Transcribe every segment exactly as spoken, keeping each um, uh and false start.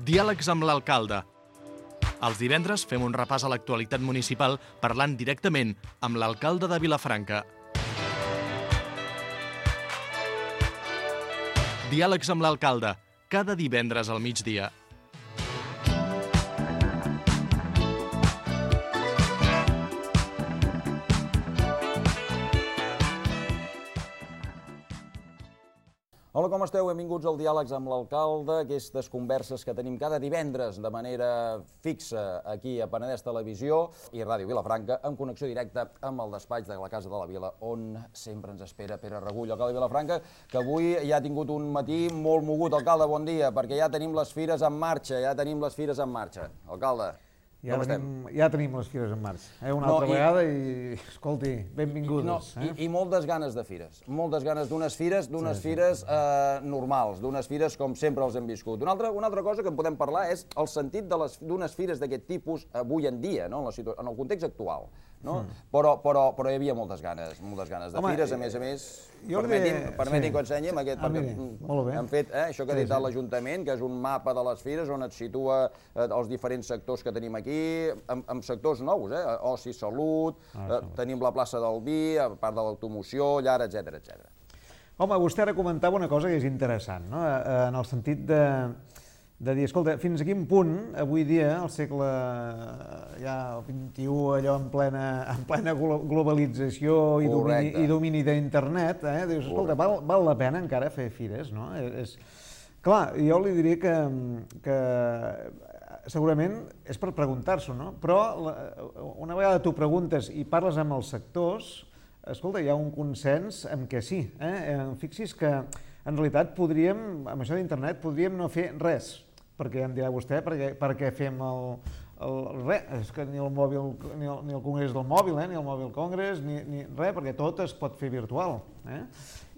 Diàlegs amb l'alcalde. Els divendres fem un repàs a l'actualitat municipal parlant directament amb l'alcalde de Vilafranca. Diàlegs amb l'alcalde, cada divendres al migdia. Hola, com esteu? Benvinguts al Diàlegs amb l'alcalde, aquestes converses que tenim cada divendres de manera fixa aquí a Penedès Televisió i Ràdio Vilafranca, en connexió directa amb el despatx de la Casa de la Vila, on sempre ens espera Pere Regull, alcalde de Vilafranca, que avui ja ha tingut un matí molt mogut. Alcalde, bon dia, perquè ja tenim les fires en marxa, ja tenim les fires en marxa. Alcalde, Ja com tenim, estem? ja tenim les fires en marxa, eh? una No, altra i- vegada i, escolti, benvingudes. No, eh? i, I moltes ganes de fires, moltes ganes d'unes fires, d'unes Sí, sí. fires eh, normals, d'unes fires com sempre els hem viscut. Una altra, una altra cosa que en podem parlar és el sentit de les- d'unes fires d'aquest tipus avui en dia, no? en, la situa- en el context actual. No? Mm. Però, però, però hi havia moltes ganes, moltes ganes de Home, fires, a més a més, jo li permetin, diré- permetin sí. que ho ensenyi amb aquest, Ah, perquè miri, molt bé. han fet eh, això que ha Sí, dit sí. l'Ajuntament, que és un mapa de les fires on et situa eh, els diferents sectors que tenim aquí, amb, amb sectors nous, eh? oci, salut, Ah, eh, tenim la plaça del vi, a part de l'automoció, llar, etcètera, etcètera. Home, vostè ara comentava una cosa que és interessant, no? Eh, en el sentit de, de dir, escolta, fins a quin punt, avui dia, al segle ja vint-i-u, allò en plena, en plena glo- globalització i domini, Correcte. i domini d'internet, eh? dius, escolta, val, val la pena encara fer fires, no? És, clar, jo li diria que, que segurament és per preguntar-s'ho, no? Però la, una vegada tu preguntes i parles amb els sectors, escolta, hi ha un consens en què sí. Eh? Fixis que en realitat podríem, amb això d'internet, podríem no fer res, perquè em dirà vostè, perquè, perquè fem el, el res, és que ni el mòbil, ni el, ni el congrés del mòbil, eh? ni el mòbil congrés, ni, ni res, perquè tot es pot fer virtual. Eh?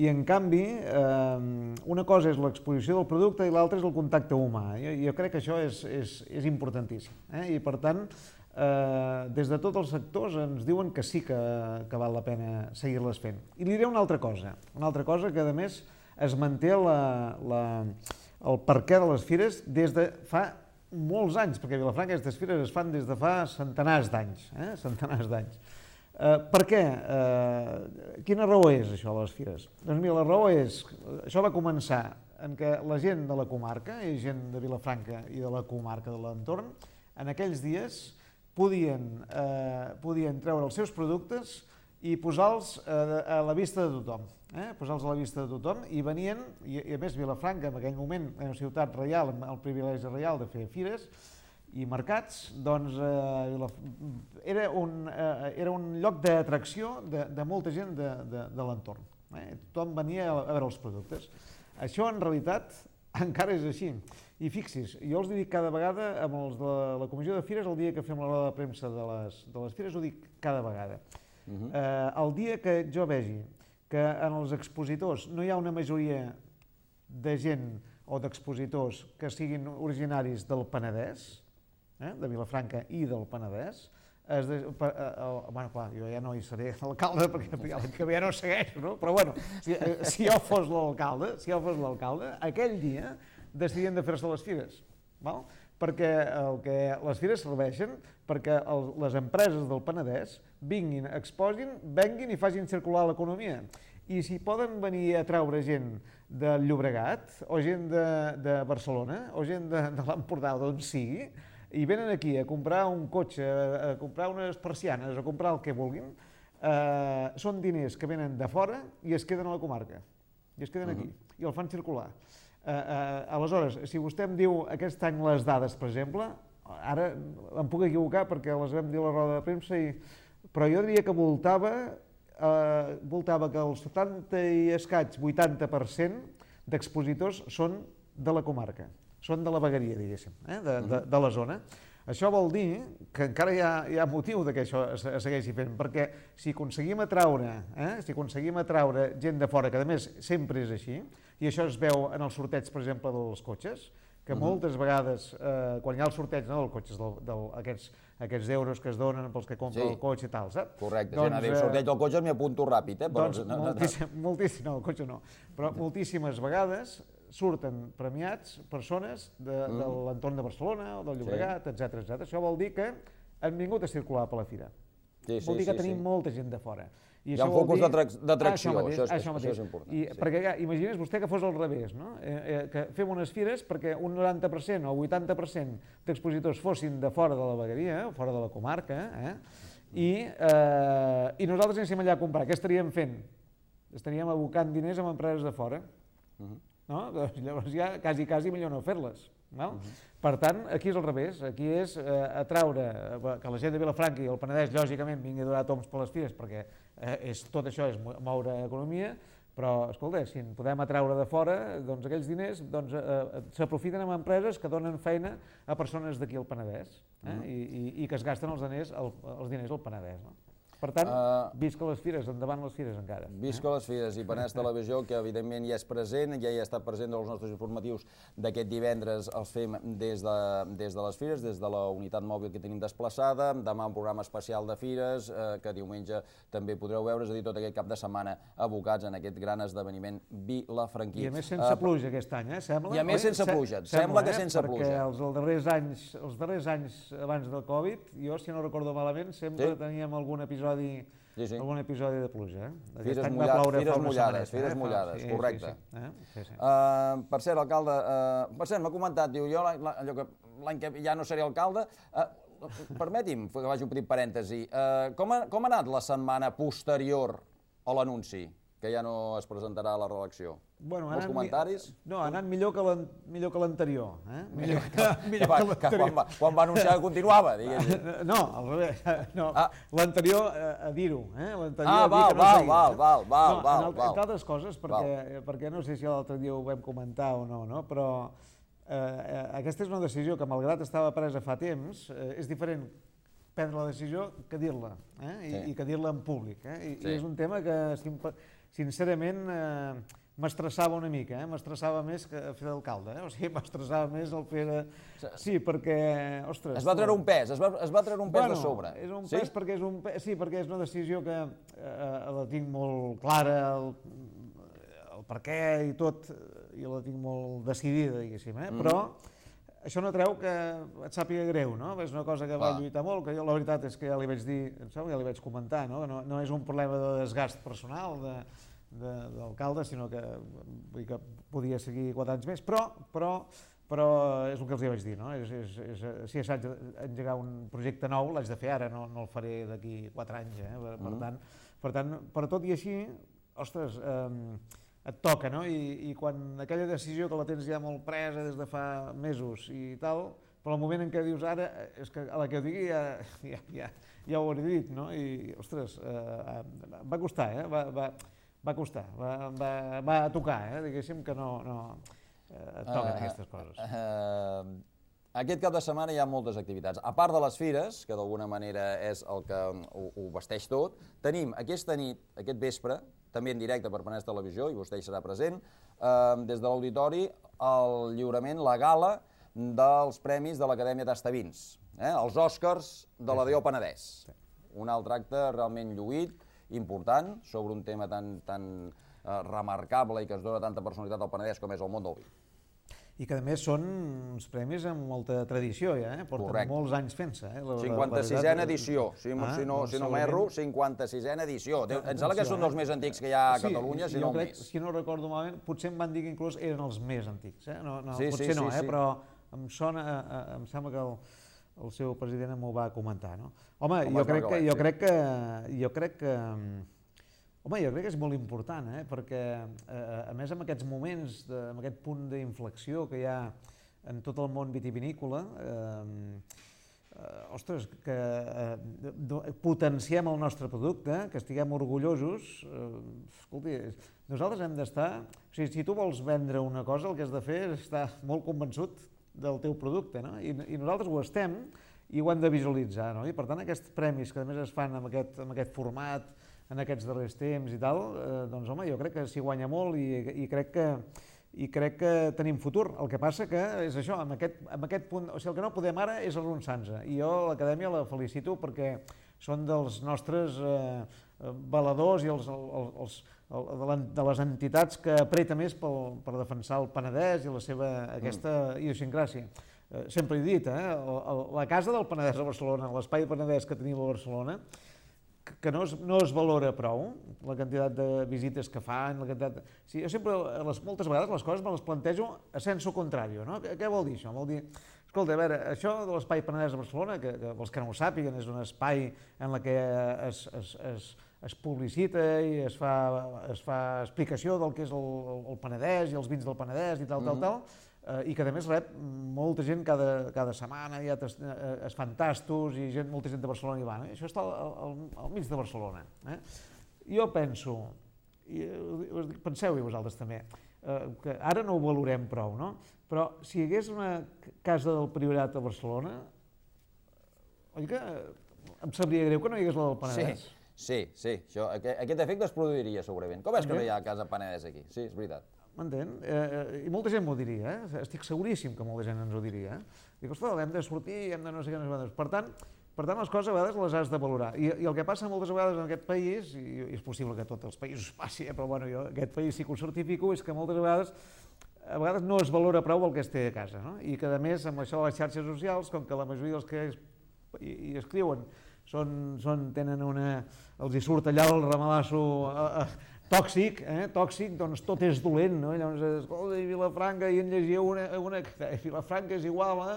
I en canvi, eh, una cosa és l'exposició del producte i l'altra és el contacte humà. Jo, jo crec que això és, és, és importantíssim. Eh? I per tant, eh, des de tots els sectors ens diuen que sí que, que val la pena seguir-les fent. I li diré una altra cosa, una altra cosa que a més es manté la, la, el perquè de les fires des de fa molts anys, perquè a Vilafranca aquestes fires es fan des de fa centenars d'anys, eh? centenars d'anys. Uh, per què? Uh, quina raó és això de les fires? Doncs mira, la raó és, això va començar en què la gent de la comarca, i gent de Vilafranca i de la comarca de l'entorn, en aquells dies podien, uh, podien treure els seus productes i posar-los uh, a la vista de tothom. Eh? Posar-los a la vista de tothom i venien, i, i a més Vilafranca en aquell moment era una ciutat reial, amb el privilegi reial de fer fires, i mercats, doncs eh, era, un, eh, era un lloc d'atracció de, de molta gent de, de, de l'entorn. Eh? Tothom venia a, a veure els productes. Això en realitat encara és així. I fixis, jo els dic cada vegada amb els de la comissió de fires, el dia que fem la roda de premsa de les, de les fires, ho dic cada vegada. Uh-huh. eh, el dia que jo vegi que en els expositors no hi ha una majoria de gent o d'expositors que siguin originaris del Penedès, Eh, de Vilafranca i del Penedès, es de, per, eh, el, bueno, clar, jo ja no hi seré l'alcalde perquè l'any que ve ja no segueixo, no? Però bueno, si, eh, si jo fos l'alcalde, si jo fos l'alcalde, aquell dia decidien de fer-se les fires, val? Perquè el que les fires serveixen perquè el, les empreses del Penedès vinguin, exposin, venguin i facin circular l'economia. I si poden venir a treure gent del Llobregat, o gent de, de Barcelona, o gent de, de l'Empordà, d'on sigui, i venen aquí a comprar un cotxe, a comprar unes persianes, a comprar el que vulguin, eh, són diners que venen de fora i es queden a la comarca, i es queden aquí, uh-huh. i el fan circular. Eh, eh, aleshores, si vostè em diu aquest any les dades, per exemple, ara em puc equivocar perquè les vam dir a la roda de premsa, i... però jo diria que voltava, eh, voltava que el setanta i escaig, vuitanta per cent d'expositors són de la comarca. Són de la vegueria, diguéssim, eh? de, de, de la zona. Això vol dir que encara hi ha, hi ha motiu de que això es, es segueixi fent, perquè si aconseguim atraure, eh? si aconseguim atraure gent de fora, que a més sempre és així, i això es veu en el sorteig, per exemple, dels cotxes, que uh-huh. moltes vegades, eh, quan hi ha el sorteig no, dels cotxes, del, del, aquests, aquests euros que es donen pels que compren sí. el cotxe i tal, saps? Correcte, doncs, si no diu sorteig del cotxe m'hi apunto ràpid, eh? Però... Doncs moltíssim, moltíssim, no, el cotxe no, però moltíssimes vegades surten premiats persones de, mm. de l'entorn de Barcelona o del Llobregat, sí. etcètera, etcètera. Això vol dir que han vingut a circular per la fira. Sí, sí, vol dir que sí, tenim sí. molta gent de fora. I hi ha un focus d'atracció, això, això, això és important. I, sí. Perquè imagines vostè que fos al revés, no? eh, eh, que fem unes fires perquè un noranta per cent o vuitanta per cent d'expositors fossin de fora de la vegueria, o fora de la comarca, eh? I, eh, i nosaltres anéssim allà a comprar. Què estaríem fent? Estaríem abocant diners amb empreses de fora. Uh -huh. No? Doncs llavors ja quasi, quasi millor no fer-les. No? Uh -huh. Per tant, aquí és al revés, aquí és eh, atraure que la gent de Vilafranca i el Penedès, lògicament, vingui a donar toms per les fires, perquè eh, és, tot això és moure economia, però, escolta, si en podem atraure de fora, doncs aquells diners doncs, eh, s'aprofiten amb empreses que donen feina a persones d'aquí al Penedès eh? uh -huh. I, i, i que es gasten els diners, el, els diners al Penedès. No? Per tant, uh, visca les fires, endavant les fires encara. Visca les fires i Penedès Televisió, que evidentment ja és present, ja hi ha estat present dels nostres informatius d'aquest divendres, els fem des de, des de les fires, des de la unitat mòbil que tenim desplaçada, demà un programa especial de fires, eh, que diumenge també podreu veure, és a dir, tot aquest cap de setmana abocats en aquest gran esdeveniment vilafranquí. I a més sense uh, pluja aquest any, eh? Sembla? I a més sense pluja, sembla, sembla que sense eh? pluja. Perquè els, els, darrers anys, els darrers anys abans del Covid, jo, si no recordo malament, sempre sí. teníem algun episodi Sí, sí. algun episodi de pluja. Eh? Fires, mulla... fires mullades, fires eh? mullades, sí, correcte. Sí, sí. Eh? Sí, sí. Uh, per cert, alcalde, uh, per cert, m'ha comentat, diu, jo allò que l'any que ja no seré alcalde, uh, permeti'm que faci un petit parèntesi, uh, com, ha, com ha anat la setmana posterior a l'anunci, que ja no es presentarà a la reelecció? Bueno, Molts comentaris? No, ha anat millor que l'anterior. Eh? Millor que, millor que, que, que quan, va, quan va anunciar que continuava, diguéssim. No, al revés. No, ah. L'anterior, a, a dir-ho. Eh? Ah, val, que no val, val, val, val, no, val. Entre altres coses, perquè, perquè no sé si l'altre dia ho vam comentar o no, no? Però eh, aquesta és una decisió que, malgrat estava presa fa temps, eh, és diferent prendre la decisió que dir-la, eh? I, sí. i que dir-la en públic. Eh? I, sí. I és un tema que, sincerament, eh, m'estressava una mica, eh? m'estressava més que fer d'alcalde, eh? O sigui, m'estressava més el fer de... Sí, perquè, ostres... Es va treure un pes, es va, es va treure un pes bueno, de sobre. És un sí? pes perquè és un pes, sí, perquè és una decisió que eh, la tinc molt clara, el, el per què i tot, i la tinc molt decidida, diguéssim, eh? Mm. Però això no treu que et sàpiga greu, no? És una cosa que va lluitar molt, que jo la veritat és que ja li vaig dir, em sembla que ja li vaig comentar, no? No, no és un problema de desgast personal, de... d'alcalde, sinó que, vull dir que podia seguir quatre anys més, però, però, però és el que els hi vaig dir, no? És, és, és, si haig d'engegar un projecte nou, l'haig de fer ara, no, no el faré d'aquí quatre anys, eh? Per, per, tant, per tant, per tot i així, ostres, eh, et toca, no? I, i quan aquella decisió que la tens ja molt presa des de fa mesos i tal, però el moment en què dius ara, és que a la que ho digui ja, ja, ja, ja ho hauré dit, no? I, ostres, eh, va costar, eh? Va, va, va costar, va, va, va tocar, eh? Diguéssim que no, no eh, et toquen uh, aquestes coses. Uh, uh, aquest cap de setmana hi ha moltes activitats. A part de les fires, que d'alguna manera és el que ho, ho vesteix tot, tenim aquesta nit, aquest vespre, també en directe per Penedès Televisió, i vostè hi serà present, uh, des de l'auditori, el lliurament, la gala dels premis de l'Acadèmia Tastavins, eh? Els Oscars de la D O Penedès. Un altre acte realment lluït, important, sobre un tema tan, tan eh, remarcable i que es dona tanta personalitat al Penedès com és el món del vi. I que a més són uns premis amb molta tradició ja, eh? Porten Correcte. molts anys fent-se. Eh? cinquanta-sisena edició, si, ah, si no, si no m'erro, cinquanta-sisena edició. Em sembla que són dels més antics que hi ha a sí, Catalunya, si no crec, més. Si no recordo malament, potser em van dir que inclús eren els més antics. Eh? No, no, sí, potser sí, no, sí, eh? sí. Però em sona, em sembla que el, el seu president m'ho va comentar. No? Home, Com jo crec, que, jo, crec que, jo crec que... Home, jo crec que és molt important, eh? Perquè, eh, a més, en aquests moments, de, en aquest punt d'inflexió que hi ha en tot el món vitivinícola, eh, eh, ostres, que eh, potenciem el nostre producte, que estiguem orgullosos, eh, escolti, nosaltres hem d'estar... O sigui, si tu vols vendre una cosa, el que has de fer és estar molt convençut del teu producte, no? I, i nosaltres ho estem i ho hem de visualitzar, no? I per tant, aquests premis que a més es fan amb aquest, amb aquest format, en aquests darrers temps i tal, eh, doncs home, jo crec que s'hi guanya molt i, i, crec que, i crec que tenim futur. El que passa que és això, amb aquest, amb aquest punt, o sigui, el que no podem ara és arronsar-nos. I jo l'Acadèmia la felicito perquè són dels nostres eh, valedors i els, els, els, de les entitats que apreta més pel, per defensar el Penedès i la seva aquesta idiosincràsia. Sempre he dit, eh? La casa del Penedès a Barcelona, l'espai Penedès que tenim a Barcelona, que no es, no es valora prou, la quantitat de visites que fan, la quantitat... Sí, jo sempre, les, moltes vegades, les coses me les plantejo a senso contrario, no? Què, què vol dir això? Vol dir, escolta, a veure, això de l'espai Penedès a Barcelona, que, que els que no ho sàpiguen, és un espai en la que es, es, es, es publicita i es fa, es fa explicació del que és el, el Penedès i els vins del Penedès i tal, tal, tal, i que a més rep molta gent cada, cada setmana, ja es fan tastos i gent, molta gent de Barcelona hi va. Eh? Això està al, al, al mig de Barcelona. Eh? Jo penso, i penseu-hi vosaltres també, eh, que ara no ho valorem prou, no? Però si hi hagués una casa del Priorat a Barcelona, oi que em sabria greu que no hi hagués la del Penedès? Sí, sí, sí. Això, aquest, aquest efecte es produiria segurament. Com és que no hi ha casa Penedès aquí? Sí, és veritat. M'entén? Eh, I molta gent m'ho diria, eh? Estic seguríssim que molta gent ens ho diria. Eh? Dic, ostres, hem de sortir, hem de no sé què, no sé què. Per tant, per tant, les coses a vegades les has de valorar. I, i el que passa moltes vegades en aquest país, i, i és possible que a tots els països passi, eh? Però bueno, jo aquest país sí que ho certifico, és que moltes vegades a vegades no es valora prou el que es té a casa, no? I que a més, amb això de les xarxes socials, com que la majoria dels que es, hi, hi escriuen són, són, tenen una... els hi surt allà el ramalasso... Eh, eh, tòxic, eh? Tòxic, doncs tot és dolent, no? Llavors, escolta, i Vilafranca, i en llegia una, una que Vilafranca és igual a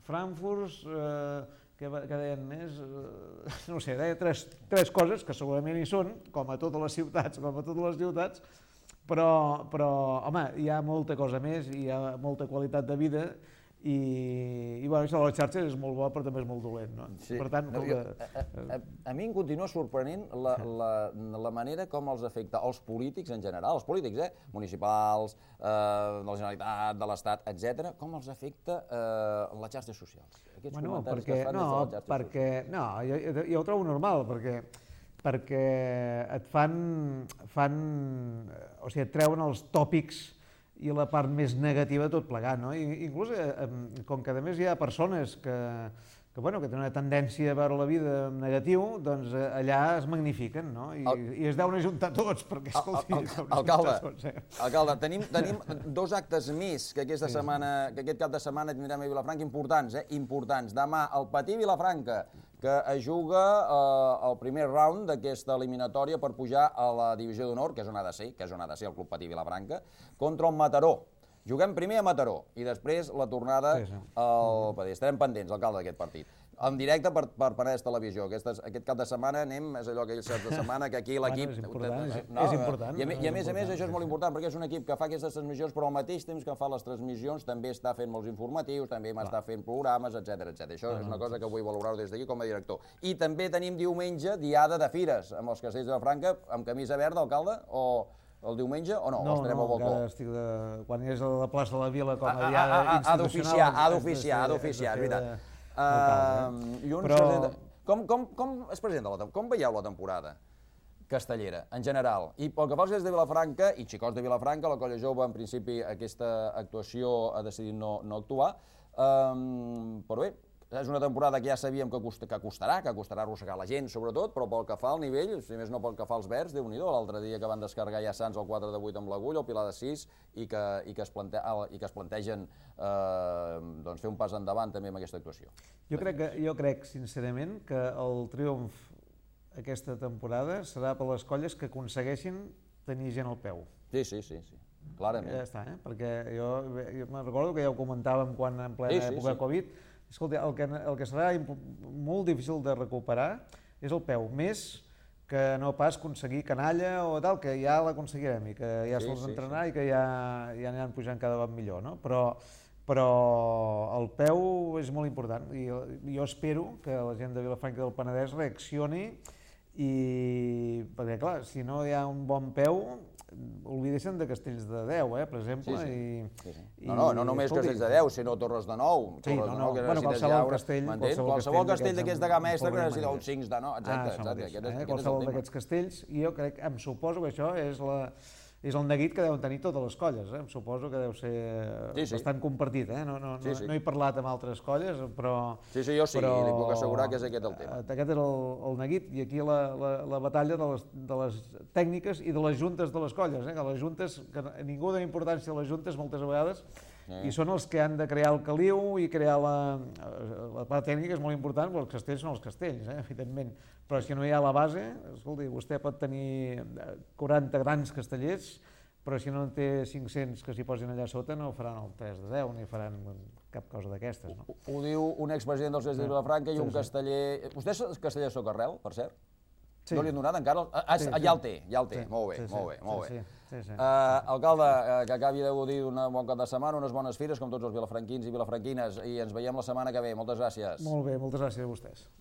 Frankfurt, eh, que, que deien més, eh, no sé, deia tres, tres coses que segurament hi són, com a totes les ciutats, com a totes les ciutats, però, però, home, hi ha molta cosa més, hi ha molta qualitat de vida, i, i bueno, això de les xarxes és molt bo, però també és molt dolent, no? Sí. Per tant, no, com jo, que... a, a, a mi em continua sorprenent la, la, la manera com els afecta els polítics en general, els polítics, eh? Municipals, eh, de la Generalitat, de l'Estat, etcètera, com els afecta eh, les xarxes socials. Aquests bueno, comentaris perquè, que fan no, des de les xarxes perquè, socials. no, jo, jo ho trobo normal, perquè perquè et fan, fan, o sigui, et treuen els tòpics i la part més negativa de tot plegat, no? I, inclús, eh, com que a més hi ha persones que, que, bueno, que tenen una tendència a veure la vida en negatiu, doncs eh, allà es magnifiquen, no? I, el, i es deuen ajuntar tots, perquè, escolti, el, el, alcalde, tots, eh? alcalde, tenim, tenim dos actes més que aquesta sí, setmana, que aquest cap de setmana tindrem a Vilafranca importants, eh? Importants. Demà, el Patí Vilafranca, que es juga eh, el primer round d'aquesta eliminatòria per pujar a la divisió d'honor, que és on ha de ser, que és on ha de ser el Club Patí Vilafranca, contra el Mataró. Juguem primer a Mataró i després la tornada sí, sí. al Patí. Estarem pendents, alcalde, d'aquest partit. En directe per, per Penedès Televisió. Aquestes, aquest cap de setmana anem, és allò aquells caps de setmana que aquí l'equip... Bueno, és important, no, és important. I a, i a més a més això és molt important perquè és un equip que fa aquestes transmissions però al mateix temps que fa les transmissions també està fent molts informatius, també m'està fent programes, etcètera, etcètera. Això és una cosa que vull valorar des d'aquí com a director. I també tenim diumenge diada de fires amb els castells de Vilafranca amb camisa verda, alcalde, o... el diumenge o no? No, o no, encara estic de... Quan és a la plaça de la Vila com a diada institucional... Ha d'oficiar, ha d'oficiar, ha d'oficiar, és veritat. Com es presenta la temporada? Com veieu la temporada castellera, en general? I pel que fa als castells de Vilafranca, i xicots de Vilafranca, la colla jove, en principi, aquesta actuació ha decidit no actuar, però bé, és una temporada que ja sabíem que costarà, que costarà arrossegar la gent, sobretot, però pel que fa al nivell, si més no pel que fa als verds, Déu-n'hi-do, l'altre dia que van descarregar ja Sants el quatre de vuit amb l'Agulla, el Pilar de sis, i que, i que, es, plante, i que es plantegen eh, doncs, fer un pas endavant també amb aquesta actuació. Jo crec, que, jo crec sincerament, que el triomf aquesta temporada serà per les colles que aconsegueixin tenir gent al peu. Sí, sí, sí, sí. Clarament. Ja està, eh? Perquè jo, jo me'n recordo que ja ho comentàvem quan en plena sí, sí, època sí. Covid. Escolta, el que, el que serà molt difícil de recuperar és el peu, més que no pas aconseguir canalla o tal, que ja l'aconseguirem i que ja sí, se'ls sí, entrenar sí. I que ja, ja aniran pujant cada cop millor, no? Però, però el peu és molt important i jo espero que la gent de Vilafranca del Penedès reaccioni i, perquè clar, si no hi ha un bon peu, oblideixen de Castells de Deu, eh, per exemple. Sí, sí. I, sí, sí. No, no, no només escolti, Castells de Deu, sinó Torres de Nou. Sí, Torres no, no, de Nou que bueno, qualsevol castell, qualsevol, qualsevol castell d'aquests de gamma extra que necessita uns cinc de nou, exacte. Ah, exacte. Aquest, eh, aquest qualsevol d'aquests castells, i jo crec, em suposo que això és la, és el neguit que deuen tenir totes les colles, eh? Em suposo que deu ser sí, sí. bastant compartit, eh? No, no, sí, sí. no he parlat amb altres colles, però... Sí, sí, jo sí, però... li puc assegurar que és aquest el tema. Aquest és el, el neguit, i aquí la, la, la batalla de les, de les tècniques i de les juntes de les colles, eh? Que les juntes, que ningú dona importància a les juntes moltes vegades, eh. i són els que han de crear el caliu i crear la... La part tècnica és molt important, però els castells són els castells, eh? Evidentment. Però si no hi ha la base, escolti, vostè pot tenir quaranta grans castellers, però si no en té cinc-cents que s'hi posin allà sota no faran el tres de deu ni faran cap cosa d'aquestes. No? Ho diu un expresident dels Castellers de Vilafranca i un casteller... Vostè és casteller de Socarrel, per cert? Sí. No li han donat encara? Ah, sí, ja el té, ja el té. Sí. Molt bé, sí, sí. molt bé, molt sí, bé. Sí, sí, sí. Uh, alcalde, uh, que acabi de gaudir d'un bon cap de setmana, unes bones fires, com tots els vilafranquins i vilafranquines, i ens veiem la setmana que ve. Moltes gràcies. Molt bé, moltes gràcies a vostès.